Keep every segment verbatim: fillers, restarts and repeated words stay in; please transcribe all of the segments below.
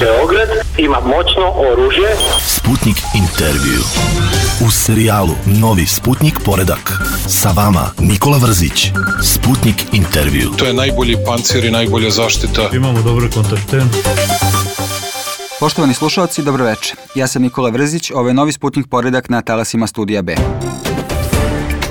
Beograd ima moćno oružje. Sputnik intervju. U serijalu Novi Sputnik poredak. Sa vama Nikola Vrzić. Sputnik intervju. To je najbolji pancir i najbolja zaštita. Imamo dobre kontakte. Poštovani slušalci, dobroveče. Ja sam Nikola Vrzić, ovo je Novi Sputnik poredak na talasima Studija B.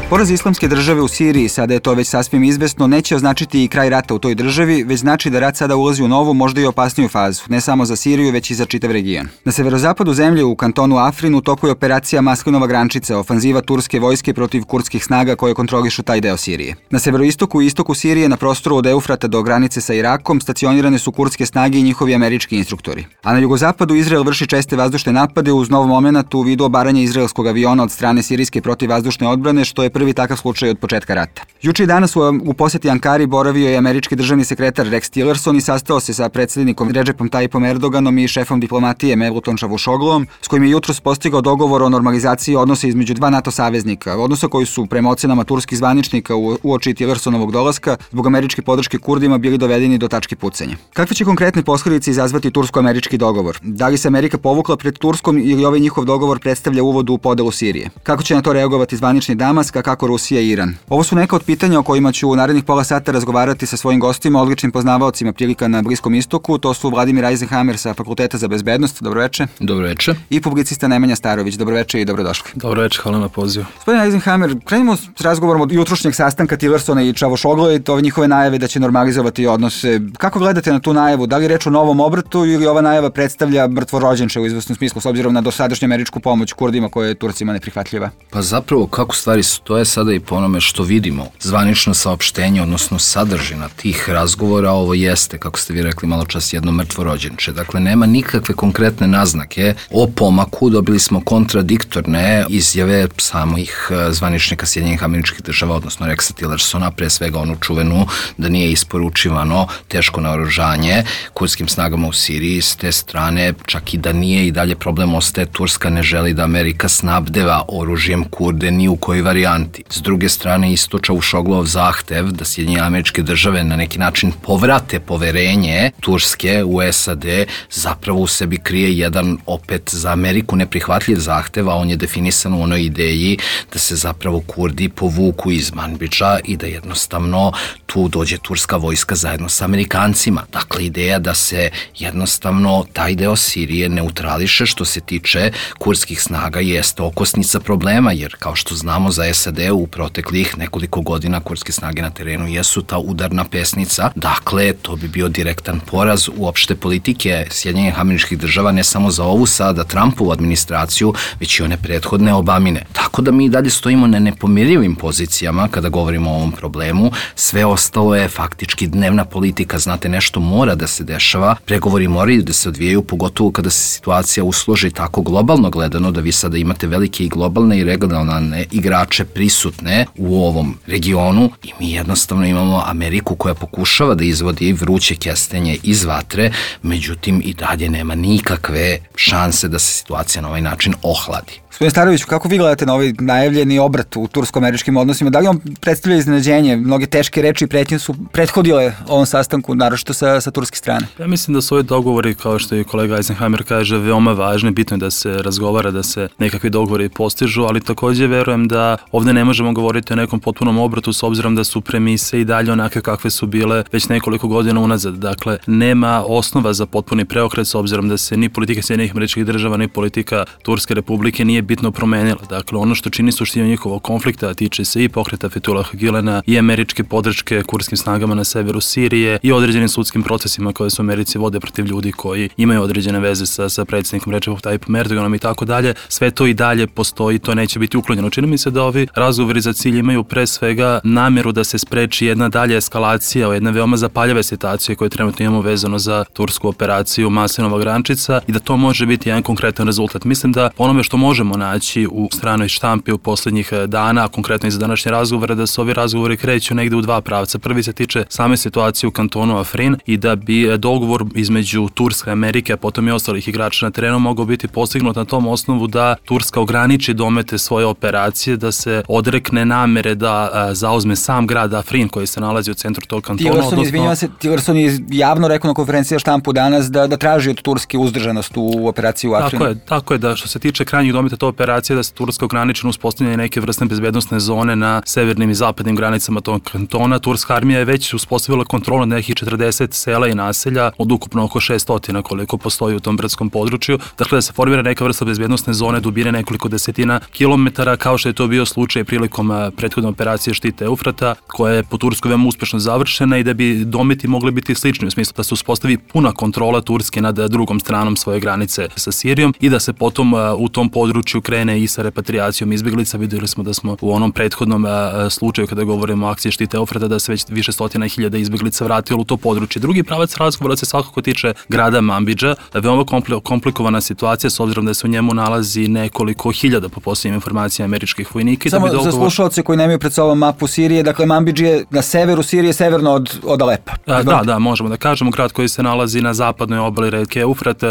Poraz islamske države u Siriji, sada je to već sasvim izvesno, neće označiti i kraj rata u toj državi, već znači da rat sada ulazi u novu, možda i opasniju fazu, ne samo za Siriju, već i za čitav region. Na severozapadu zemlje, u kantonu Afrin, u toku je operacija Maslinova grančica, ofanziva turske vojske protiv kurdskih snaga koje kontrolišu taj deo Sirije. Na severoistoku i istoku Sirije, na prostoru od Eufrata do granice sa Irakom, stacionirane su kurdske snage i njihovi američki instruktori. A na jugozapadu Izrael vrši česte vazdušne napade uz nov momenat u vidu obaranja izraelskog aviona od strane sirijske protivvazdušne odbrane, što je prvi takav slučaj od početka rata. Juče i danas u, u poseti Ankari boravio je američki državni sekretar Rex Tillerson i sastao se sa predsjednikom Redžepom Tayyipom Erdoganom i šefom diplomatije Mevlutom Čavuşogluom, s kojim je jutros postigao dogovor o normalizaciji odnosa između dva NATO saveznika, odnosa koji su prema ocenama turskih zvaničnika u uoči Tillersonovog dolaska zbog američke podrške Kurdima bili dovedeni do tačke pucanja. Kakve će konkretne posledice izazvati tursko-američki dogovor? Da li se Amerika povukla pred Turskom ili ovaj njihov dogovor predstavlja uvod u podelu Sirije? Kako će na to reagovati zvanični Damask, a kako Rusija i Iran? Ovo su neka od pitanja o kojima ću u narednih pola sata razgovarati sa svojim gostima, odličnim poznavaocima prilika na Bliskom istoku. To su Vladimir Eisenhammer sa Fakulteta za bezbednost. Dobroveče. Dobroveče. I publicista Nemanja Starović. Dobroveče i dobrodošli. Dobroveče, hvala na pozivu. Gospodin Eisenhammer, krenimo s razgovorom od jutrošnjeg sastanka Tillersona i Čavuşoglua i ove njihove najave da će normalizovati odnose. Kako gledate na tu najavu? Da li je reč o novom obratu ili ova najava predstavlja mrtvorođenče u izvesnom smislu s obzirom na dosadašnju američku pomoć Kurdima koja je Turcima neprihvatljiva? Pa zapravo kako stvari stoje sada i po onome što vidimo, zvanično saopštenje, odnosno sadržina tih razgovora, ovo jeste, kako ste vi rekli malo čas, jedno mrtvorođenče. Dakle, nema nikakve konkretne naznake o pomaku, dobili smo kontradiktorne izjave samih zvaničnika Sjedinjenih Američkih Država, odnosno Rexa Tillersona, pre svega onu čuvenu da nije isporučivano teško naoružanje kurdskim snagama u Siriji. S te strane, čak i da nije, i dalje problem ostaje, Turska ne želi da Amerika snabdeva oružjem Kurde ni u kojoj varijanti. S druge strane, isto Čavuşogluov zahtev da Sjedinjene Američke Države na neki način povrate poverenje Turske u S A D zapravo u sebi krije jedan opet za Ameriku neprihvatljiv zahtev, a on je definisan u onoj ideji da se zapravo Kurdi povuku iz Manbidža i da jednostavno tu dođe turska vojska zajedno sa Amerikancima. Dakle, ideja da se jednostavno taj deo Sirije neutrališe što se tiče kurdskih snaga jeste okosnica problema, jer kao što znamo za S A D u proteklih nekoliko godina kurdske snage na terenu jesu ta udarna pesnica. Dakle, to bi bio direktan poraz uopšte politike Sjedinjenih Američkih Država, ne samo za ovu sada Trumpovu administraciju, već i one prethodne Obamine. Tako da mi dalje stojimo na nepomirljivim pozicijama kada govorimo o ovom problemu. Sve ostalo je faktički dnevna politika. Znate, nešto mora da se dešava, pregovori moraju da se odvijaju, pogotovo kada se situacija usloži tako globalno gledano, da vi sada imate velike i globalne i regionalne igrače prisutne u ovom regionu i mi jednostavno imamo Ameriku koja pokušava da izvodi vruće kestenje iz vatre, međutim i dalje nema nikakve šanse da se situacija na ovaj način ohladi. Gospodin Staroviću, kako vi gledate na ovaj najavljeni obrat u tursko-američkim odnosima? Da li on predstavlja iznenađenje? Mnoge teške reči i pretnje su prethodile ovom sastanku, naročito sa, sa turske strane. Ja mislim da su ovi dogovori, kao što i kolega Eisenhammer kaže, veoma važni. Bitno je da se razgovara, da se nekakvi dogovori postižu, ali takođe verujem da ovde ne možemo govoriti o nekom potpunom obratu s obzirom da su premise i dalje onakve kakve su bile već nekoliko godina unazad. Dakle, nema osnova za potpuni preokret s obzirom da se ni politika Sjedinjenih Američkih Država ni politika Turske Republike nije bitno promenila. Dakle, ono što čini suštinu njihovog konflikta tiče se i pokreta Fethullaha Gülena i američke podrške kurdskim snagama na severu Sirije i određenim sudskim procesima koje su Americi vode protiv ljudi koji imaju određene veze sa, sa predsjednikom Redžepom Tayyipom Erdoganom i tako dalje. Sve to i dalje postoji, to neće biti uklonjeno. Čini mi se da ovi razgovori za cilj imaju pre svega nameru da se spreči jedna dalja eskalacija o jedne veoma zapaljave situacije koje trenutno imamo vezano za tursku operaciju Maslinova grančica i da to može biti jedan konkretan rezultat. Mislim da onome što možemo možemo naći u stranoj štampi u posljednjih dana, konkretno i za današnje razgovore, da se ovi razgovori kreću negde u dva pravca. Prvi se tiče same situacije u kantonu Afrin i da bi dogovor između Turske, Amerike, a potom i ostalih igrača na terenu mogao biti postignut na tom osnovu da Turska ograniči domete svoje operacije, da se odrekne namere da a, zauzme sam grad Afrin koji se nalazi u centru tog kantona. Tillerson, odnosno... izvinjava se, Tillerson je javno rekao na konferenciji štampu danas da, da traži od Turske uzdržanost u operaciji u Afrinu. Tako je, tako je da što se tiče krajnjih dometa te operacije, da se Turska ograniči na uspostavljanje neke vrste bezbednosne zone na severnim i zapadnim granicama tog kantona. Turska armija je već uspostavila kontrolu nad nekih četrdeset sela i naselja od ukupno oko šesnaest koliko postoji u tom brdskom području. Dakle, da se formira neka vrsta bezbednosne zone dubine nekoliko desetina kilometara, kao što je to bio slučaj prilikom prethodne operacije štita Eufrata, koja je po Turskoj veoma uspešno završena i da bi dometi mogli biti slični u smislu da se uspostavi puna kontrola Turske nad drugom stranom svoje granice sa Sirijom i da se potom u tom području krene i sa repatriacijom izbjeglica. Vidjeli smo da smo u onom prethodnom slučaju kada govorimo o akciji štita Eufrata da se već više stotina hiljada izbjeglica vratilo u to područje. Drugi pravac razgovora se svakako tiče grada Manbidža. Veoma komplikovana situacija s obzirom da se u njemu nalazi nekoliko hiljada po posljednjim informacijama američkih vojnika. Samo da dogovor... za slušalce koji nemaju pred sobom mapu Sirije, dakle Manbidž je na severu Sirije, severno od, od Alepa. A, da, da, možemo da kažemo, grad koji se nalazi na zapadnoj obali reke Eufrat.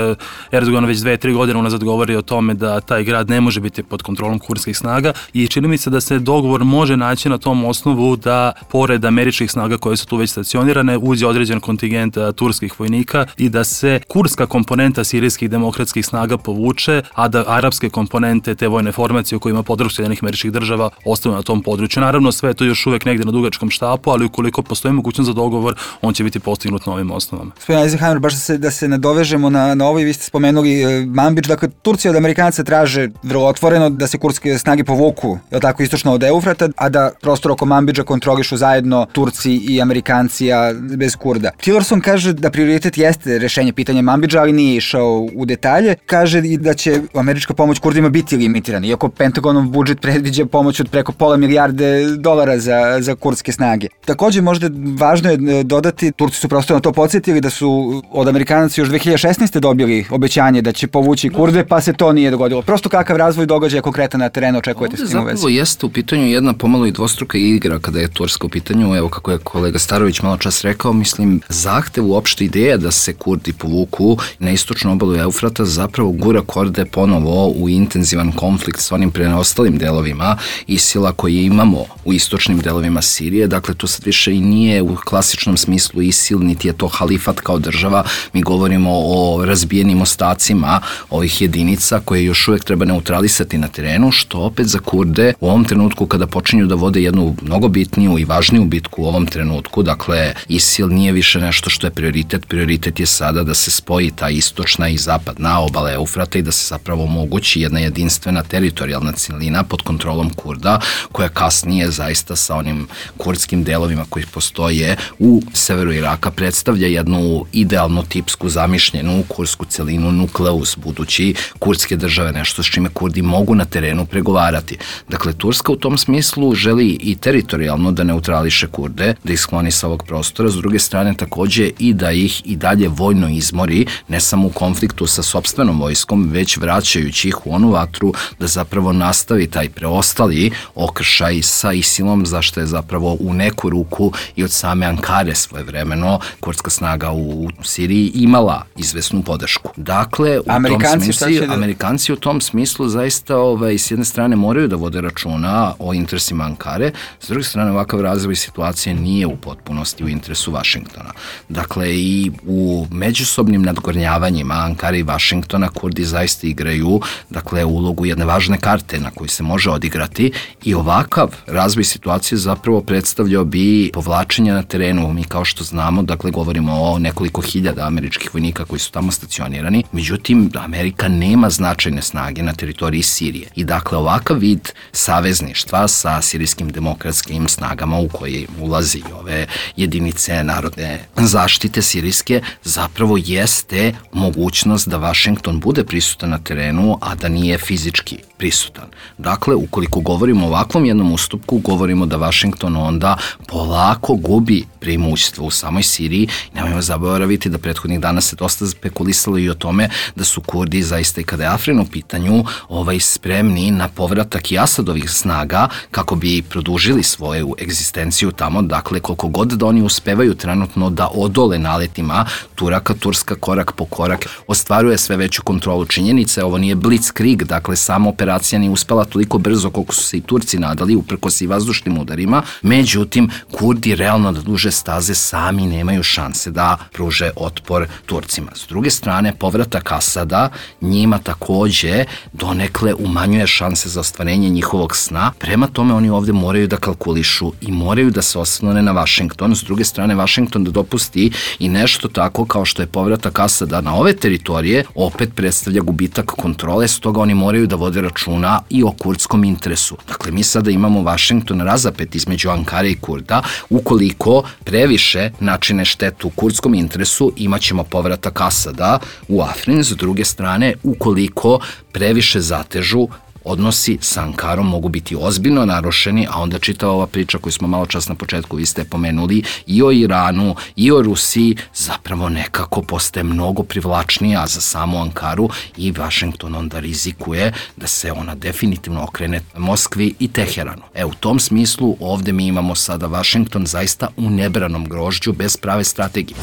Erdogan već dve, tri godine unazad govori o tome da taj grad ne može biti pod kontrolom kurdskih snaga i čini mi se da se dogovor može naći na tom osnovu da pored američkih snaga koje su tu već stacionirane uđe određen kontingent a, turskih vojnika i da se kurdska komponenta sirijskih demokratskih snaga povuče, a da arapske komponente te vojne formacije u kojima podršku Sjedinjenih Američkih Država ostaju na tom području. Naravno, sve je to još uvek negde na dugačkom štapu, ali ukoliko postoji mogućnost za dogovor, on će biti postignut na ovim osnovama. Gospodin Eisenheimer, baš da se, da se nadovežemo na, na ovo i vi ste spomenuli e, Manbidž, dakle Turcija od Amerikanaca traže vrlo otvoreno da se kurdske snage povuku, je tako, istočno od Eufrata, a da prostor oko Manbidža kontrolišu zajedno Turci i Amerikanci, a bez Kurda. Tillerson kaže da prioritet jeste rešenje pitanja Manbidža, ali nije išao u detalje. Kaže i da će američka pomoć Kurdima biti limitirana, iako Pentagonov budžet predviđa pomoć od preko pola milijarde dolara za, za kurdske snage. Takođe, možda važno je dodati, Turci su prosto na to podsjetili da su od Amerikanaca još dve hiljade šesnaeste dobili obećanje da će povući Kurde, pa se to nije dogodilo. Prosto kakav razvoj događaja konkretan na terenu očekujete s tim u vezi? Zapravo jeste u pitanju jedna pomalo i dvostruka igra kada je Turska u pitanju, evo kako je kolega Starović malo čas rekao, mislim, zahtev uopšte ideja da se Kurdi povuku na istočnu obalu Eufrata zapravo gura Kurde ponovo u intenzivan konflikt s onim preostalim delovima Isila koji imamo u istočnim delovima Sirije. Dakle, to sad više i nije u klasičnom smislu Isil, niti je to halifat kao država. Mi govorimo o razbijenim ostacima ovih jedinica koje još uvek treba neutralisati na terenu, što opet za Kurde u ovom trenutku kada počinju da vode jednu mnogo bitniju i važniju bitku u ovom trenutku, dakle, Isil nije više nešto što je prioritet. Prioritet je sada da se spoji ta istočna i zapadna obala Eufrata i da se zapravo omogući jedna jedinstvena teritorijalna celina pod kontrolom Kurda, koja kasnije zaista sa onim kurdskim delovima koji postoje u severu Iraka predstavlja jednu idealno tipsku zamišljenu kurdsku celinu, nukleus budući kurdske države, nešto s čime Kurdi mogu na terenu pregovarati. Dakle, Turska u tom smislu želi i teritorijalno da neutrališe Kurde, da ih skloni sa ovog prostora, s druge strane takođe i da ih i dalje vojno izmori, ne samo u konfliktu sa sopstvenom vojskom, već vraćajući ih u onu vatru da zapravo nastavi taj preostali okršaj sa Isilom, zašto je zapravo u neku ruku i od same Ankare svojevremeno kurdska snaga u Siriji imala izvesnu podršku. Dakle, u Amerikanci, tom smislu, da... Amerikanci u tom smislu zaista ovaj, s jedne strane moraju da vode računa o interesima Ankare, s druge strane ovakav razvoj situacije nije u potpunosti u interesu Vašingtona. Dakle, i u međusobnim nadgornjavanjima Ankare i Vašingtona Kurdi zaista igraju, dakle, ulogu jedne važne karte na koju se može odigrati i ovakav razvoj situacije zapravo predstavljao bi povlačenje na terenu. Mi kao što znamo, dakle, govorimo o nekoliko hiljada američkih vojnika koji su tamo stacionirani, međutim, Amerika nema značajne snage na teritoriji Sirije. I dakle, ovakav vid savezništva sa sirijskim demokratskim snagama u koje ulazi ove jedinice narodne zaštite sirijske zapravo jeste mogućnost da Vašington bude prisutan na terenu, a da nije fizički prisutan. Dakle, ukoliko govorimo o ovakvom jednom ustupku, govorimo da Vašington onda polako gubi preimoćstvo u samoj Siriji. Nemojmo zaboraviti da prethodnih dana se dosta spekulisalo i o tome da su Kurdi zaista i kada je Afrin u pitanju ovaj, spremni na povratak i Asadovih snaga kako bi produžili svoju egzistenciju tamo, dakle koliko god da oni uspevaju trenutno da odole naletima Turaka, Turska korak po korak ostvaruje sve veću kontrolu činjenice. Ovo nije blitzkrieg, dakle sama operacija nije uspela toliko brzo koliko su se i Turci nadali uprkos i vazdušnim udarima, međutim Kurdi realno da duže staze sami nemaju šanse da pruže otpor Turcima. S druge strane, povratak Asada njima takođe donekle umanjuje šanse za ostvarenje njihovog sna, prema tome oni ovde moraju da kalkulišu i moraju da se oslone na Vašington. S druge strane, Vašington da dopusti i nešto tako kao što je povratak Asada na ove teritorije, opet predstavlja gubitak kontrole, stoga oni moraju da vode računa i o kurdskom interesu. Dakle, mi sada imamo Vašington razapet između Ankare i Kurda, ukoliko previše načine štetu u kurdskom interesu, imaćemo povratak Asada u Afrin. S druge strane, ukoliko previše zatežu, odnosi sa Ankarom mogu biti ozbiljno narušeni, a onda čitava ova priča koju smo malo čas na početku vi ste pomenuli i o Iranu i o Rusiji zapravo nekako postaje mnogo privlačnija za samu Ankaru i Vašington onda rizikuje da se ona definitivno okrene Moskvi i Teheranu. E, u tom smislu ovde mi imamo sada Vašington zaista u nebranom grožđu bez prave strategije.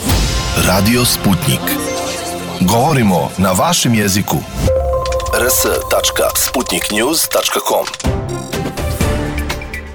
Radio Sputnik. Govorimo na vašem jeziku. r s tačka sputnik news tačka com.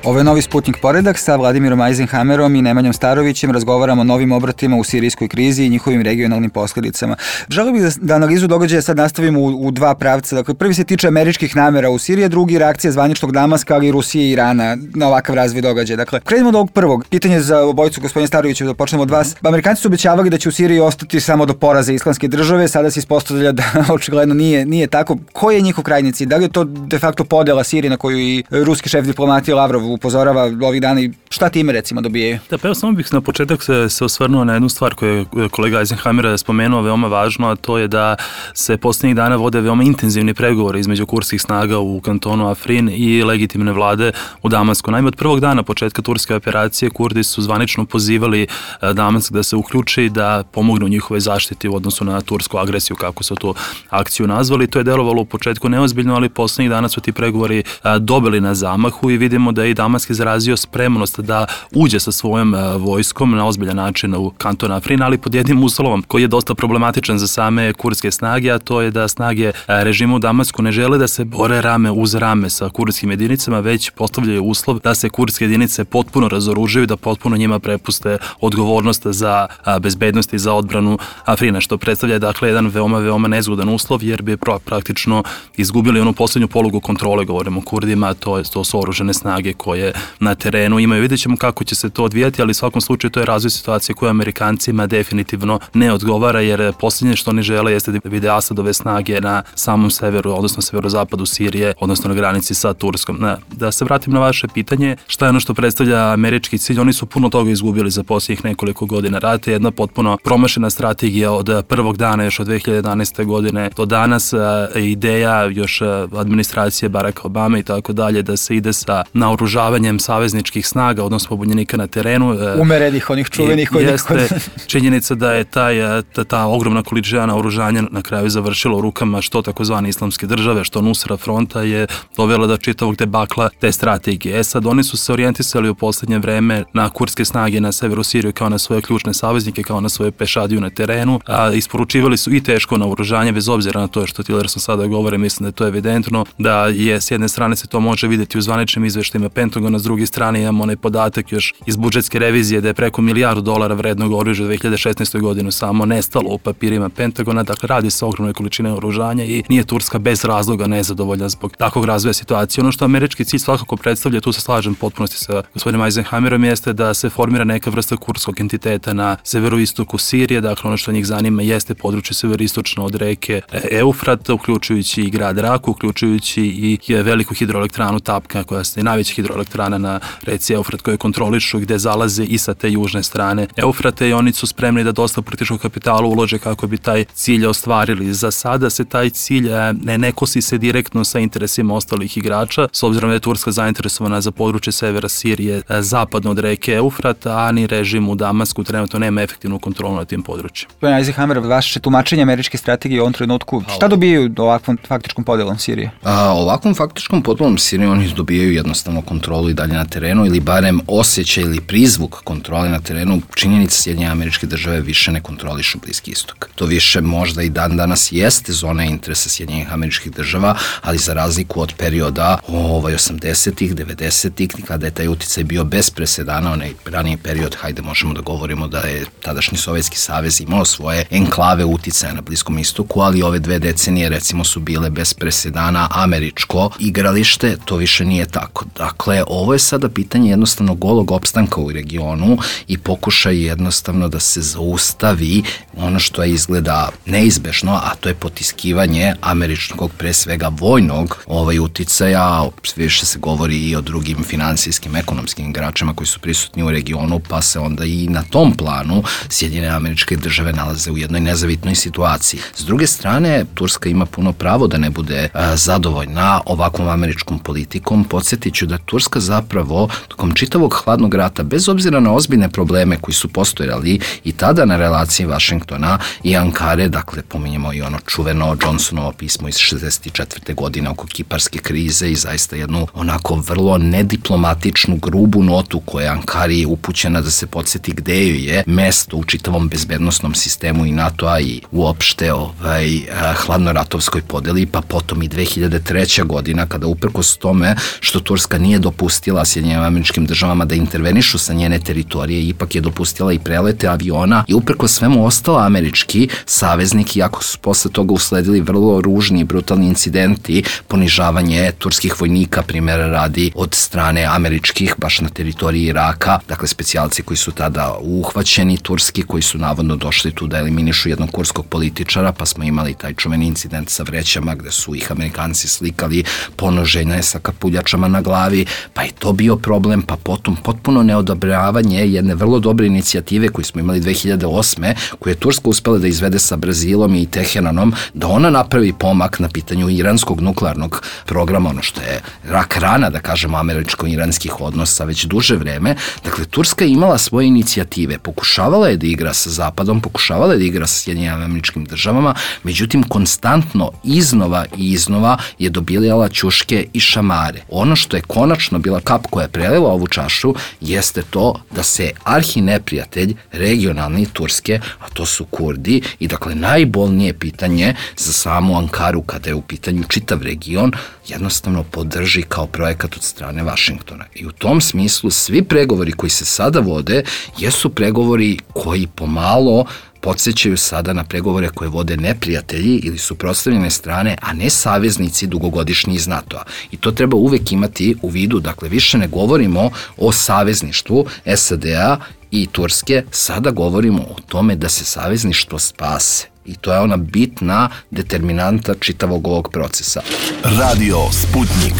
Ovo je novi Sputnik poredak sa Vladimirom Eisenhammerom i Nemanjom Starovićem. Razgovaramo o novim obratima u sirijskoj krizi i njihovim regionalnim posledicama. Želeo bih da analizu događaja sad nastavimo u, u dva pravca. Dakle, prvi se tiče američkih namera u Siriji, drugi reakcija zvaničnog Damaska, ali i Rusije i Irana na ovakav razvoj događaja. Dakle, krenimo od ovog prvog. Pitanje za obojicu, gospodine Staroviću, da počnemo od vas. Amerikanci su obećavali da će u Siriji ostati samo do poraza Islamske države, sada se ispostavlja da očigledno nije, nije tako. Koji je njihov krajnji cilj? Da li je to de facto podela Sirije na koju i ruski šef diplomatije Lavrov upozorava ovih dana i šta time recimo dobijaju? Da, pa evo samo bih na početak se, se osvrnuo na jednu stvar koju je kolega Eisenhammer spomenuo veoma važno, a to je da se posljednjih dana vode veoma intenzivni pregovori između kurdskih snaga u kantonu Afrin i legitimne vlade u Damasku. Naime, od prvog dana početka turske operacije Kurdi su zvanično pozivali Damask da se uključi, da pomognu njihove zaštiti u odnosu na tursku agresiju, kako su tu akciju nazvali. To je delovalo u početku neozbiljno, ali posljednjih dana su ti pregovori dobili na zamahu i vidimo da je i Damask izrazio spremnost da uđe sa svojom vojskom na ozbiljan način u kanton Afrin, ali pod jednim uslovom koji je dosta problematičan za same kurdske snage, a to je da snage režima u Damasku ne žele da se bore rame uz rame sa kurdskim jedinicama, već postavljaju uslov da se kurdske jedinice potpuno razoružaju, da potpuno njima prepuste odgovornost za bezbednost i za odbranu Afrina, što predstavlja dakle jedan veoma, veoma nezgodan uslov, jer bi praktično izgubili onu poslednju polugu kontrole, govorimo o Kurdima, to, je, to su oružane snage koje na terenu imaju. Vidjet ćemo kako će se to odvijati, ali u svakom slučaju to je razvoj situacije koja Amerikancima definitivno ne odgovara, jer posljednje što oni žele jeste da vide Asadove snage na samom severu, odnosno severozapadu Sirije, odnosno na granici sa Turskom. Da, da se vratim na vaše pitanje, šta je ono što predstavlja američki cilj? Oni su puno toga izgubili za posljednjih nekoliko godina rata, jedna potpuno promašena strategija od prvog dana, još od dve hiljade jedanaeste godine do danas, ideja još administracije Baracka Obame i tako dalje, da se ide sa naoružavanjem savezničkih snaga, odnosno pobunjenika na terenu. Umerenih, onih čuvenih. Jeste činjenica da je taj, ta, ta ogromna količina naoružanja na kraju završila u rukama što takozvane islamske države, što Nusra fronta, je dovela do čitavog debakla te strategije. E sad, oni su se orijentisali u poslednje vreme na kurdske snage na severu Siriju kao na svoje ključne saveznike, kao na svoje pešadiju na terenu, a isporučivali su i teško naoružanje, bez obzira na to što Tillerson sada govore, mislim da je to evidentno, da je s jedne strane se to može videti u zvaničnim izveštajima Pentagona, s druge strane imamo onaj podatak još iz budžetske revizije da je preko milijardu dolara vrednog oružja u dve hiljade šesnaestoj godinu samo nestalo u papirima Pentagona, dakle radi se o ogromnoj količine oružanja i nije Turska bez razloga nezadovoljna zbog takvog razvoja situacije. Ono što američki cilj svakako predstavlja, tu se slažem potpunosti sa gospodinom Eisenhammerom, jeste da se formira neka vrsta kurdskog entiteta na severoistoku Sirije, dakle ono što njih zanima jeste područje severoistočno od reke Eufrat, uključujući i grad Raku, uključujući i veliku hidroelektranu Tapka, koja je najveća hidroelektrana hidroelektrana na reci Eufrat koje kontrolišu gde zalaze i sa te južne strane Eufrate i oni su spremni da dosta političkog kapitala ulože kako bi taj cilj ostvarili. Za sada se taj cilj ne, ne kosi se direktno sa interesima ostalih igrača, s obzirom da je Turska zainteresovana za područje severa Sirije zapadno od reke Eufrat, a ni režim u Damasku trenutno nema efektivnu kontrolu nad tim područjem. Gospodin Eisenhammer, vaše tumačenje američke strategije u ovom trenutku, šta dobijaju ovakvom faktičkom podelom Sirije? A, ovakvom faktičkom podelom Sirije oni dobijaju jednostavno kontrolu i dalje na terenu ili barem osjećaj ili prizvuk kontrole na terenu. Činjenica Sjedinjene Američke Države više ne kontrolišu Bliski istok. To više možda i dan danas jeste zona interesa Sjedinjenih Američkih Država, ali za razliku od perioda ovaj, osamdesetih, devedesetih, kada je taj uticaj bio bez presedana, onaj raniji period, hajde možemo da govorimo da je tadašnji Sovjetski savez imao svoje enklave uticaja na Bliskom istoku, ali ove dve decenije recimo su bile bez presedana američko igralište, to više nije tako. Dakle, ovo je sada pitanje jednostavno golog opstanka u regionu i pokušaj jednostavno da se zaustavi ono što je izgleda neizbešno, a to je potiskivanje američkog, pre svega vojnog ovaj uticaja. Više se govori i o drugim finansijskim, ekonomskim igračima koji su prisutni u regionu, pa se onda i na tom planu Sjedinjene Američke Države nalaze u jednoj nezavitnoj situaciji. S druge strane, Turska ima puno pravo da ne bude a, zadovoljna ovakvom američkom politikom. Podsjetit ću da Turska zapravo tokom čitavog hladnog rata, bez obzira na ozbiljne probleme koji su postojali i tada na relaciji Vašingtona i Ankare, dakle pominjemo i ono čuveno Johnsonovo pismo iz šezdeset četvrte godine oko kiparske krize i zaista jednu onako vrlo nediplomatičnu, grubu notu koja je Ankari upućena da se podsjeti gde joj je mesto u čitavom bezbednosnom sistemu i NATO-a i uopšte ovaj, hladnoratovskoj podeli, pa potom i dve hiljade treća godina kada uprkos tome što Turska nije dopustila Sjedinjenim Američkim Državama da intervenišu sa njene teritorije, ipak je dopustila i prelete aviona i uprkos svemu ostala američki saveznik, iako su posle toga usledili vrlo ružni i brutalni incidenti, ponižavanje turskih vojnika, primjera radi, od strane američkih, baš na teritoriji Iraka, dakle specijalci koji su tada uhvaćeni, turski, koji su navodno došli tu da eliminišu jednog kurskog političara, pa smo imali taj čuveni incident sa vrećama gde su ih Amerikanci slikali ponoženje sa kapuljačama na glavi, pa je to bio problem, pa potom potpuno neodobravanje jedne vrlo dobre inicijative koju smo imali dve hiljade osme, koju je Turska uspela da izvede sa Brazilom i Teheranom, da ona napravi pomak na pitanju iranskog nuklearnog programa, ono što je rak rana, da kažemo, američko-iranskih odnosa već duže vreme. Dakle, Turska je imala svoje inicijative, pokušavala je da igra sa Zapadom, pokušavala je da igra sa Sjedinjenim Američkim Državama, međutim, konstantno iznova i iznova je dobijala ćuške i šamare. Ono što je konačno bila kap koja je prelila ovu čašu jeste to da se arhineprijatelj regionalni Turske, a to su Kurdi, i dakle najbolnije pitanje za samu Ankaru kada je u pitanju čitav region, jednostavno podrži kao projekat od strane Vašingtona. I u tom smislu svi pregovori koji se sada vode jesu pregovori koji pomalo podsjećaju sada na pregovore koje vode neprijatelji ili suprotstavljene strane, a ne saveznici dugogodišnji iz NATO-a. I to treba uvek imati u vidu, dakle više ne govorimo o savezništvu S A D-a i Turske, sada govorimo o tome da se savezništvo spase. I to je ona bitna determinanta čitavog ovog procesa. Radio Sputnik.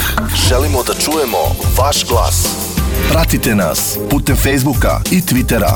Želimo da čujemo vaš glas. Pratite nas putem Facebooka i Twittera.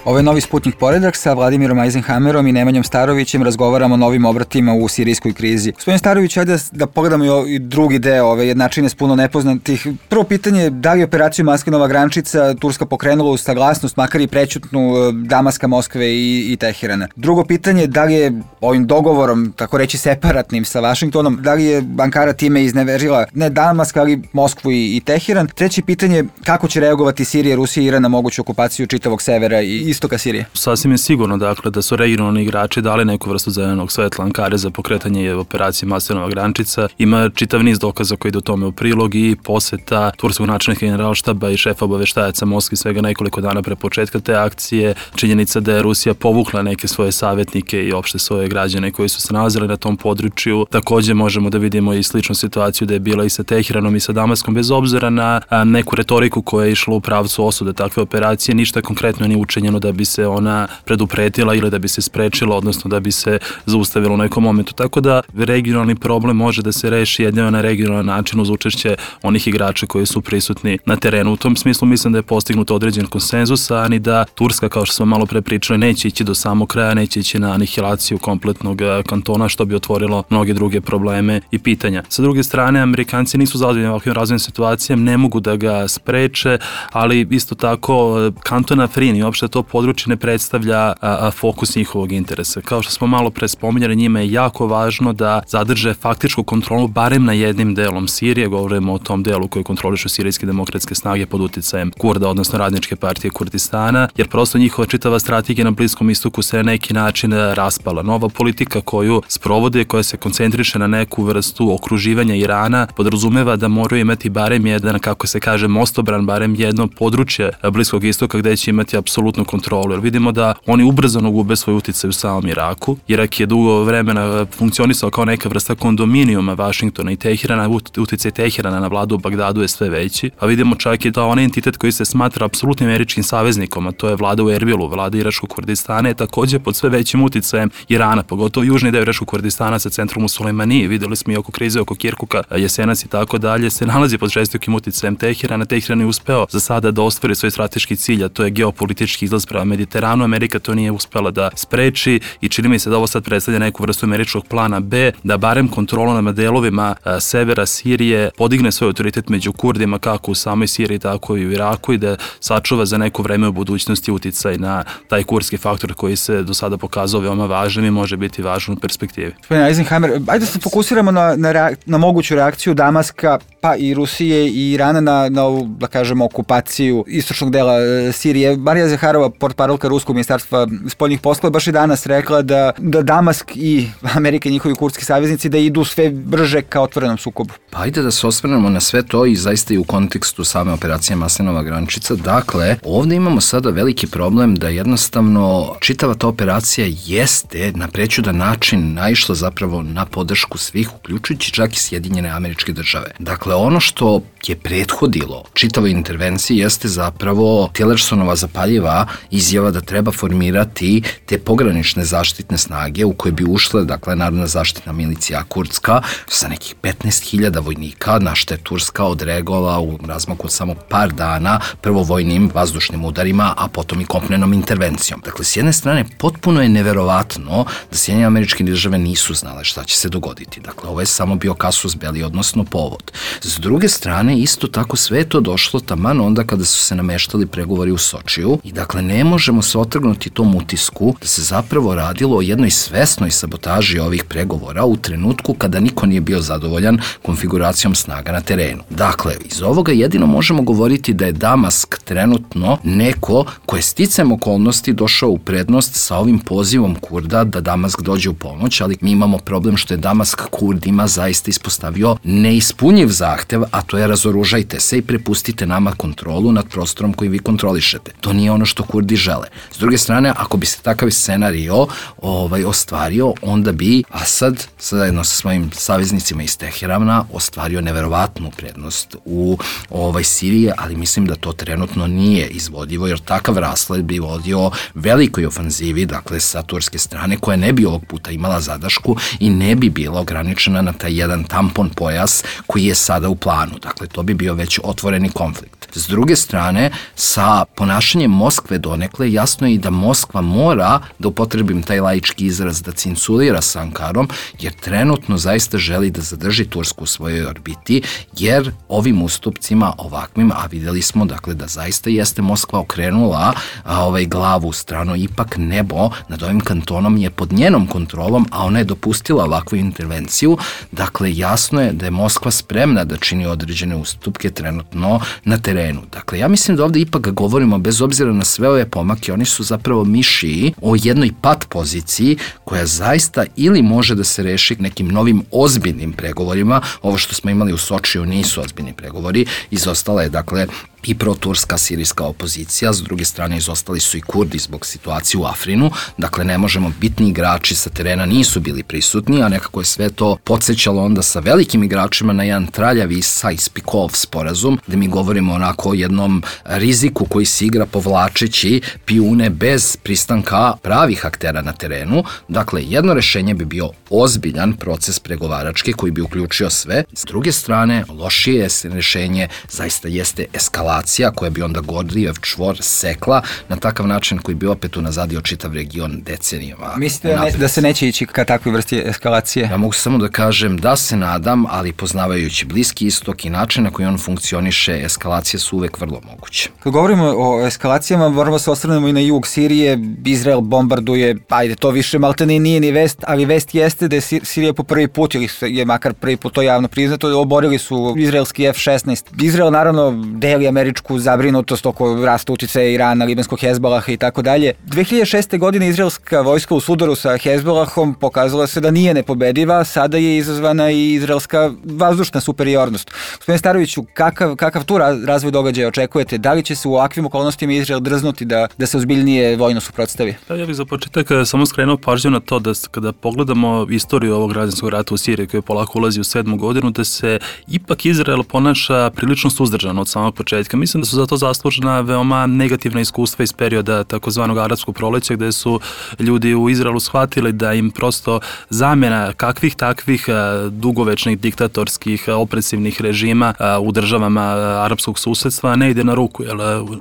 Ovo je Novi Sputnik poredak sa Vladimirom Eisenhammerom i Nemanjom Starovićem. Razgovaramo o novim obratima u sirijskoj krizi. Gospodin Starović, ajde da pogledamo i drugi deo ove jednačine s puno nepoznatih. Prvo pitanje, da li operaciju Maskinova grančica Turska pokrenula uz saglasnost, makar i prećutnu, Damaska, Moskve i, i Teherana? Drugo pitanje, da li je ovim dogovorom, tako reći separatnim sa Vašingtonom, da li je Ankara time izneverila ne Damask, ali Moskvu i, i Teheran? Treće pitanje, kako će reagovati Sirija, Rusija i Iran na moguću okupaciju čitavog severa i istoka Sirije? Sasvim je sigurno, dakle, da su regionalni igrači dali neku vrstu zelenog svetla Ankare za pokretanje operacije Maslinova grančica. Ima čitav niz dokaza koji ide u tome u prilog i poseta turskog načelnika generalštaba i šefa obaveštajaca Moskvi svega nekoliko dana pre početka te akcije. Činjenica da je Rusija povukla neke svoje savjetnike i opšte svoje građane koji su se nalazili na tom području. Takođe možemo da vidimo i sličnu situaciju da je bila i sa Teheranom i sa Damaskom, bez obzira na neku retoriku koja je išla u pravcu osude takve operacije. Ništa konkretno nije učinjeno da bi se ona predupretila ili da bi se sprečila, odnosno da bi se zaustavila u nekom momentu. Tako da regionalni problem može da se reši jedino na regionalan način uz učešće onih igrača koji su prisutni na terenu. U tom smislu mislim da je postignut određen konsenzus, a ni da Turska, kao što smo malo pre pričali, neće ići do samog kraja, neće ići na anihilaciju kompletnog kantona, što bi otvorilo mnoge druge probleme i pitanja. Sa druge strane, Amerikanci nisu zadovoljni ovakvim razvojnim situacijama, ne mogu da ga spreče, ali isto tako kanton Afrin i uopšte to područje ne predstavlja a, a, fokus njihovog interesa. Kao što smo malo pre spominjali, njima je jako važno da zadrže faktičku kontrolu barem na jednim delom Sirije, govorimo o tom delu koji kontrolišu sirijske demokratske snage pod uticajem Kurda, odnosno Radničke partije Kurdistana, jer prosto njihova čitava strategija na Bliskom istoku se na neki način raspala. Nova politika koju sprovode, koja se koncentriše na neku vrstu okruživanja Irana, podrazumeva da moraju imati barem jedan, kako se kaže, mostobran, barem jedno područje Bliskog istoka gde će imati apsolutnu kontrolu. Jer vidimo da oni ubrzano gube svoj uticaj u samom Iraku. Irak je dugo vremena funkcionisao kao neka vrsta kondominijuma Vašingtona i Teherana, uticaj Teherana na vladu u Bagdadu je sve veći, a vidimo čak i da onaj entitet koji se smatra apsolutnim američkim saveznikom, a to je vlada u Erbilu, vlada Iračkog Kurdistana, je takođe pod sve većim uticajem Irana, pogotovo južni deo Iračkog Kurdistana sa centrom u Sulejmaniji. Videli smo i oko krize oko Kirkuka, Jesenas i tako dalje, se nalazi pod žestokim uticajem Teherana. Teheran je uspeo za sada da ostvari svoj strateški cilj, a to je geopolitički izlaz prema Mediteranu. Amerika to nije uspela da spreči i čini mi se da ovo sad predstavlja neku vrstu američkog plana B, da barem kontrolom na delovima a, severa Sirije podigne svoj autoritet među Kurdima, kako u samoj Siriji, tako i u Iraku, i da sačuva za neko vreme u budućnosti uticaj na taj kurdski faktor koji se do sada pokazao veoma važnim i može biti važan u perspektivi. Gospodin Eisenhammer, ajde da se fokusiramo na, na, reak, na moguću reakciju Damaska, pa i Rusije i Irana na, na ovu, da kažemo, okupaciju istočnog dela e, Sirije. Marija Zaharova, portparolka Ruskog ministarstva spoljnih poslova, baš i danas rekla da, da Damask i Amerika i njihovi kurdski saveznici da idu sve brže ka otvorenom sukobu. Pa ajde da se osvrnemo na sve to i zaista i u kontekstu same operacije Maslinova grančica. Dakle, ovde imamo sada veliki problem da jednostavno čitava ta operacija jeste na prećudan način naišla zapravo na podršku svih, uključujući čak i Sjedinjene Američke Države. Dakle, ono što je prethodilo čitavoj intervenciji jeste zapravo Tillersonova zapaljiva izjava da treba formirati te pogranične zaštitne snage u koje bi ušle, dakle, Narodna zaštitna milicija kurdska sa nekih petnaest hiljada vojnika, na što je Turska odreagovala u razmaku od samo par dana, prvo vojnim vazdušnim udarima, a potom i kopnenom intervencijom. Dakle, s jedne strane, potpuno je neverovatno da Sjedinjene Američke Države nisu znale šta će se dogoditi. Dakle, ovo je samo bio kasus belli, odnosno povod. S druge strane, isto tako sve je to došlo taman onda kada su se nameštali pregovori u Sočiju i dakle ne možemo se otrgnuti tom utisku da se zapravo radilo o jednoj svesnoj sabotaži ovih pregovora u trenutku kada niko nije bio zadovoljan konfiguracijom snaga na terenu. Dakle, iz ovoga jedino možemo govoriti da je Damask trenutno neko ko je sticajem okolnosti došao u prednost sa ovim pozivom Kurda da Damask dođe u pomoć, ali mi imamo problem što je Damask Kurdima zaista ispostavio neispunjiv zahtev, a to je razoružajte se i prepustite nama kontrolu nad prostorom koji vi kontrolišete. To nije ono što Kurdi žele. S druge strane, ako bi se takav scenario ovaj, ostvario, onda bi Asad, zajedno sa svojim saveznicima iz Teherana, ostvario neverovatnu prednost u ovaj, Siriji, ali mislim da to trenutno nije izvodljivo, jer takav rasled bi vodio velikoj ofanzivi, dakle sa turske strane, koja ne bi ovog puta imala zadašku i ne bi bila ograničena na taj jedan tampon pojas koji je sada u planu. Dakle, to bi bio već otvoreni konflikt. S druge strane, sa ponašanjem Moskve donekle, jasno je i da Moskva mora, da upotrebim taj laički izraz, da cinculira sa Ankarom, jer trenutno zaista želi da zadrži Tursku u svojoj orbiti, jer ovim ustupcima ovakvim, a videli smo dakle da zaista jeste Moskva okrenula a, ovaj glavu u stranu, ipak nebo nad ovim kantonom je pod njenom kontrolom, a ona je dopustila ovakvu intervenciju. Dakle, jasno je da je Moskva spremna da čini određene ustupke trenutno na terenu. Dakle, ja mislim da ovde ipak govorimo, bez obzira na sve ove pomake, oni su zapravo mišiji o jednoj pat poziciji koja zaista ili može da se reši nekim novim ozbiljnim pregovorima. Ovo što smo imali u Sočiju nisu ozbiljni pregovori, izostala je dakle i proturska sirijska opozicija, s druge strane izostali su i Kurdi zbog situacije u Afrinu, dakle ne možemo, bitni igrači sa terena nisu bili prisutni, a nekako je sve to podsjećalo onda sa velikim igračima na jedan traljavi Sykes-Picot sporazum, gde mi govorimo onako o jednom riziku koji se igra povlačeći pijune bez pristanka pravih aktera na terenu. Dakle, jedno rešenje bi bio ozbiljan proces pregovarački koji bi uključio sve. S druge strane, lošije rešenje zaista jeste eskalacija koja bi onda Gordijev čvor sekla na takav način koji bi opet unazadio čitav region decenijama. Mislite ne, da se neće ići ka takvoj vrsti eskalacije? Ja mogu samo da kažem da se nadam, ali poznavajući Bliski istok i način na koji on funkcioniše, eskalacije su uvek vrlo moguće. Kad govorimo o eskalacijama, moramo se osvrnemo i na jug Sirije. Izrael bombarduje, ajde, to više maltene nije ni vest, ali vest jeste da je Sirija po prvi put, ili je makar prvi put to javno priznato, oborili su izraelski F šesnaest. Izrael naravno deli američku zabrinutost oko rasta uticaja Irana, libanskog Hezbolaha i tako dalje. dve hiljade šeste. godine izraelska vojska u sudaru sa Hezbolahom pokazala se da nije nepobediva, sada je izazvana i izraelska vazdušna superiornost. Gospodine Staroviću, kakav, kakav tu razvoj događaja očekujete? Da li će se u ovakvim okolnostima Izrael drznuti da, da se ozbiljnije vojno suprotstavi? Da, ja bih za početak samo skrenuo pažnju na to da kada pogledamo istoriju ovog građanskog rata u Siriji koji polako ulazi u sedmu godinu, da se ipak Izrael ponaša prilično suzdržano od samog početka. Mislim da su za to zaslužena veoma negativna iskustva iz perioda takozvanog arapskog proleća, gde su ljudi u Izraelu shvatili da im prosto zamjena kakvih takvih dugovečnih diktatorskih opresivnih režima u državama arapskog susedstva ne ide na ruku, jer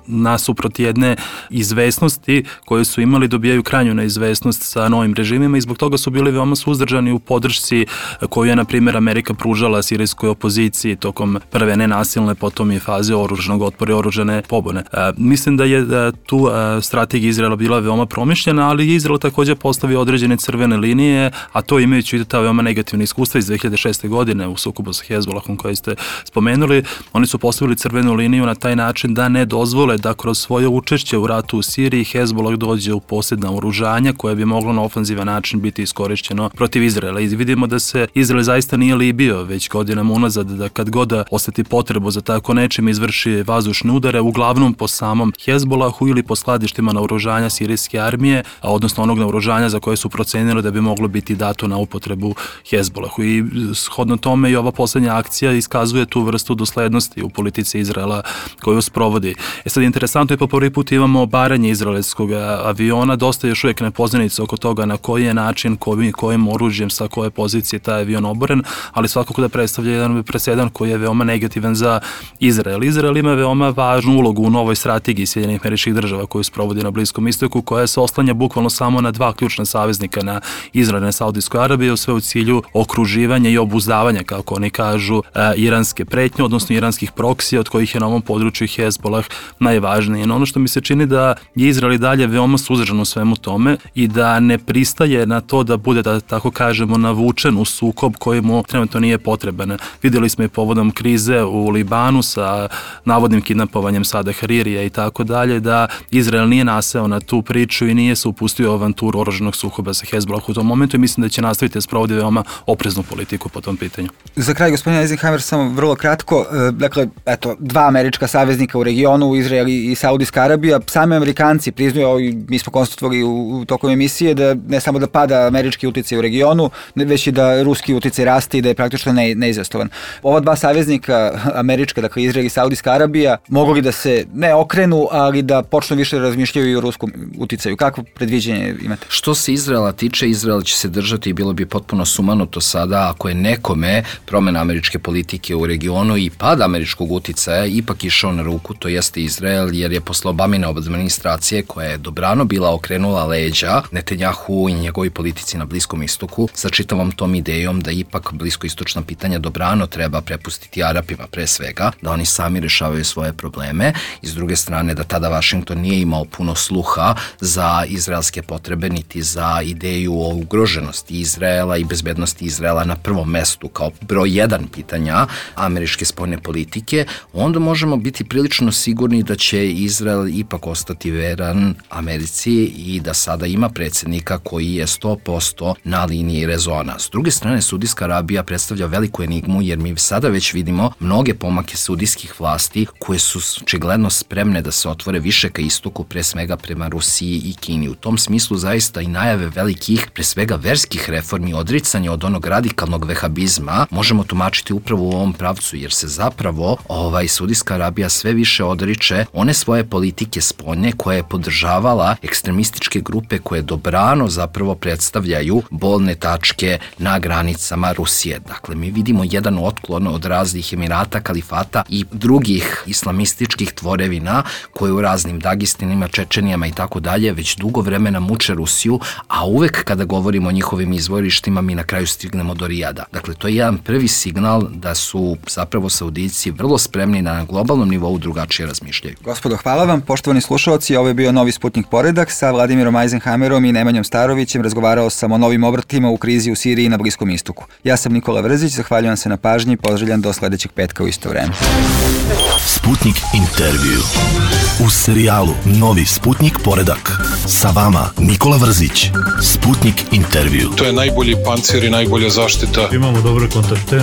nasuprot jedne izvesnosti koje su imali dobijaju krajnju neizvesnost sa novim režimima i zbog toga su bili veoma suzdržani u podršci koju je, na primjer, Amerika pružala sirijskoj opoziciji tokom prve nenasilne, potom i faze oružanog otpora i oružane pobune. E, mislim da je da tu e, strategija Izraela bila veoma promišljena, ali je Izrael takođe postavio određene crvene linije, a to imajući i ta veoma negativna iskustva iz dve hiljade šeste. godine u sukobu sa Hezbolahom koji ste spomenuli. Oni su postavili crvenu liniju na taj način da ne dozvole da kroz svoje učešće u ratu u Siriji Hezbolah dođe u posjed naoružanja koje bi moglo na ofanzivan način biti iskorišćeno protiv Izraela. I vidimo da se Izrael zaista nije libio već godinama unazad, da kad god oseti potrebu za tako nečim izvrši vazdušne udare, uglavnom po samom Hezbolahu ili po skladištima naoružanja sirijske armije, a odnosno onog naoružanja za koje su procenili da bi moglo biti dato na upotrebu Hezbolahu. I shodno tome i ova poslednja akcija iskazuje tu vrstu doslednosti u politici Izraela koju sprovodi. E sad, interesantno je, po prvi put imamo obaranje izraelskog aviona, dosta još uvijek nepoznanica oko toga na koji je način, kojim, kojim oružjem, sa koje pozicije taj avion oboren, ali svakako da predstavlja jedan presedan koji je veoma negativan za Izrael. Izrael ima veoma važnu ulogu u novoj strategiji Sjedinjenih Američkih Država koju sprovodi na Bliskom istoku, koja se oslanja bukvalno samo na dva ključna saveznika, na Izrael i na Saudijsku Arabiju, sve u cilju okruživanja i obuzdavanja, kako oni kažu, iranske pretnje, odnosno iranskih proksija, od kojih je na ovom području Hezbolah najvažniji. No, ono što mi se čini da je Izrael i dalje veoma suzdržan u svemu tome i da ne pristaje na to da bude, da tako kažemo, navučen u sukob koji mu trenutno nije potreban. Vidjeli smo i povodom krize u Libanu sa navodnim kidnapovanjem Sada Haririja i tako dalje, da Izrael nije naseo na tu priču i nije se upustio u avanturu oružanog sukoba sa Hezbolahom u tom momentu i mislim da će nastaviti da sprovodi veoma opreznu politiku po tom pitanju. Za kraj, gospodin Eisenhower, samo vrlo kratko, dakle, eto, dva američka saveznika u regionu, Izrael i Saudijska Arabija, sami Amerikanci priznaju, i mi smo konstatovali u, u tokom emisije, da ne samo da pada američki uticaj u regionu, već i da ruski uticaj raste i da je praktično ne, neizastovan. Ova dva saveznika američka, dakle Izrael i Saudijska Arabija, mogli da se ne okrenu, ali da počnu više razmišljaju i o ruskom uticaju. Kakvo predviđenje imate? Što se Izraela tiče, Izrael će se držati i bilo bi potpuno sumanuto sada ako je nekome promena američke politike u regionu i pad američkog uticaja ipak išao na ruku, to jeste Izrael, jer je posle Obamine administracije, koja je dobrano bila okrenula leđa Netanjahu i njegovi politici na Bliskom istoku, sa čitavom tom idejom da ipak bliskoistočna pitanja dobrano treba prepustiti Arapima pre svega, da oni sami rešavaju svoje probleme, i s druge strane da tada Vašington nije imao puno sluha za izraelske potrebe niti za ideju o ugroženosti Izraela i bezbednosti Izraela na prvom mestu kao broj jedan pitanja američke spoljne politike, onda možemo biti prilično sigurni da će Izrael ipak ostati veran Americi i da sada ima predsjednika koji je sto posto na liniji rezona. S druge strane, Saudijska Arabija predstavlja veliku enigmu jer mi sada već vidimo mnoge pomake saudijskih vlasti koje su očigledno spremne da se otvore više ka istoku, pre svega prema Rusiji i Kini. U tom smislu zaista i najave velikih, pre svega verskih reformi, odricanje od onog radikalnog vehabizma, možemo tumačiti upravo u ovom pravcu, jer se zapravo ovaj, Saudijska Arabija sve više odriče one svoje politike spoljne koje je podržavala ekstremističke grupe koje dobrano zapravo predstavljaju bolne tačke na granicama Rusije. Dakle, mi vidimo jedan otklon od raznih emirata, kalifata i drugih islamističkih tvorevina koje u raznim Dagestanima, Čečenijama i tako dalje već dugo vremena muče Rusiju, a uvek kada govorimo o njihovim izvorištima mi na kraju stignemo do Rijada. Dakle, to je jedan prvi signal da su zapravo Saudijci vrlo spremni da na globalnom nivou drugačije razmišljaju. Gospodo, hvala vam. Poštovani slušalci, ovo je bio Novi Sputnik Poredak. Sa Vladimirom Eisenhammerom i Nemanjom Starovićem razgovarao sam o novim obratima u krizi u Siriji i na Bliskom istoku. Ja sam Nikola Vrzić, zahvaljujem se na pažnji i pozdravljam do sledećeg petka u isto vreme. Sputnik intervju. U serijalu Novi Sputnik Poredak. Sa vama Nikola Vrzić. Sputnik intervju. To je najbolji pancir i najbolja zaštita. Imamo dobre kontakte.